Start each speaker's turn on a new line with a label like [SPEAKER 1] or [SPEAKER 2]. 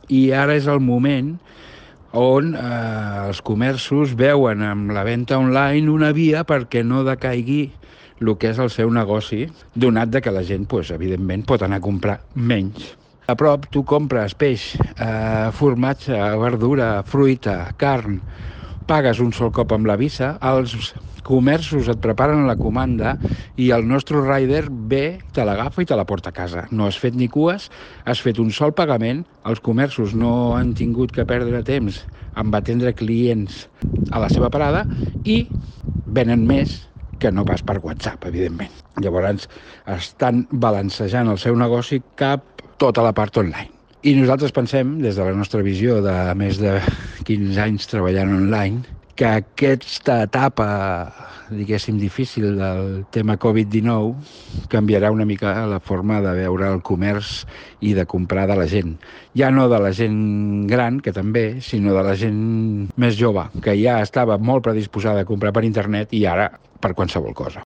[SPEAKER 1] i ara és el moment on els comerços veuen amb la venda online una via perquè no decaigui el que és el seu negoci, donat que la gent, evidentment, pot anar a comprar menys. A prop tu compres peix, formatge, verdura, fruita, carn, pagues un sol cop amb la Visa, els comerços et preparen la comanda i el nostre rider ve, te l'agafa i te la porta a casa. No has fet ni cues, has fet un sol pagament, els comerços no han tingut que perdre temps en atendre clients a la seva parada i venen més que no pas per WhatsApp, evidentment. Llavors estan balancejant el seu negoci cap tota la part online. I nosaltres pensem, des de la nostra visió de més de 15 anys treballant online, que aquesta etapa, diguéssim, difícil del tema Covid-19 canviarà una mica la forma de veure el comerç i de comprar de la gent. Ja no de la gent gran, que també, sinó de la gent més jove, que ja estava molt predisposada a comprar per internet i ara per qualsevol cosa.